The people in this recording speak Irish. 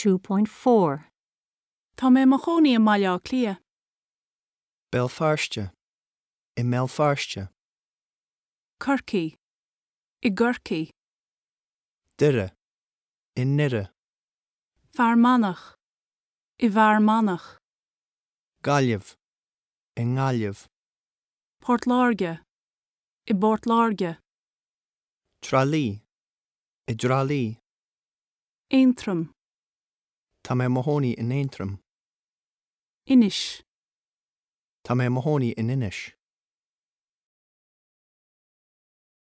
2.4. Tá mé i mo chónaí i mBaile Átha Cliath. Béal Feirste, i mBéal Feirste. Corcaigh, i gCorcaigh. Doire, i nDoire. Fear Manach, i bhFear Manach. Gaillimh, i nGaillimh. Port Láirge, i bPort Láirge. Trá Lí, i dTrá Lí. Aontroim. Tá mé i mo chónaí in Aontroim. Inis. Tá mé i mo chónaí in Inis.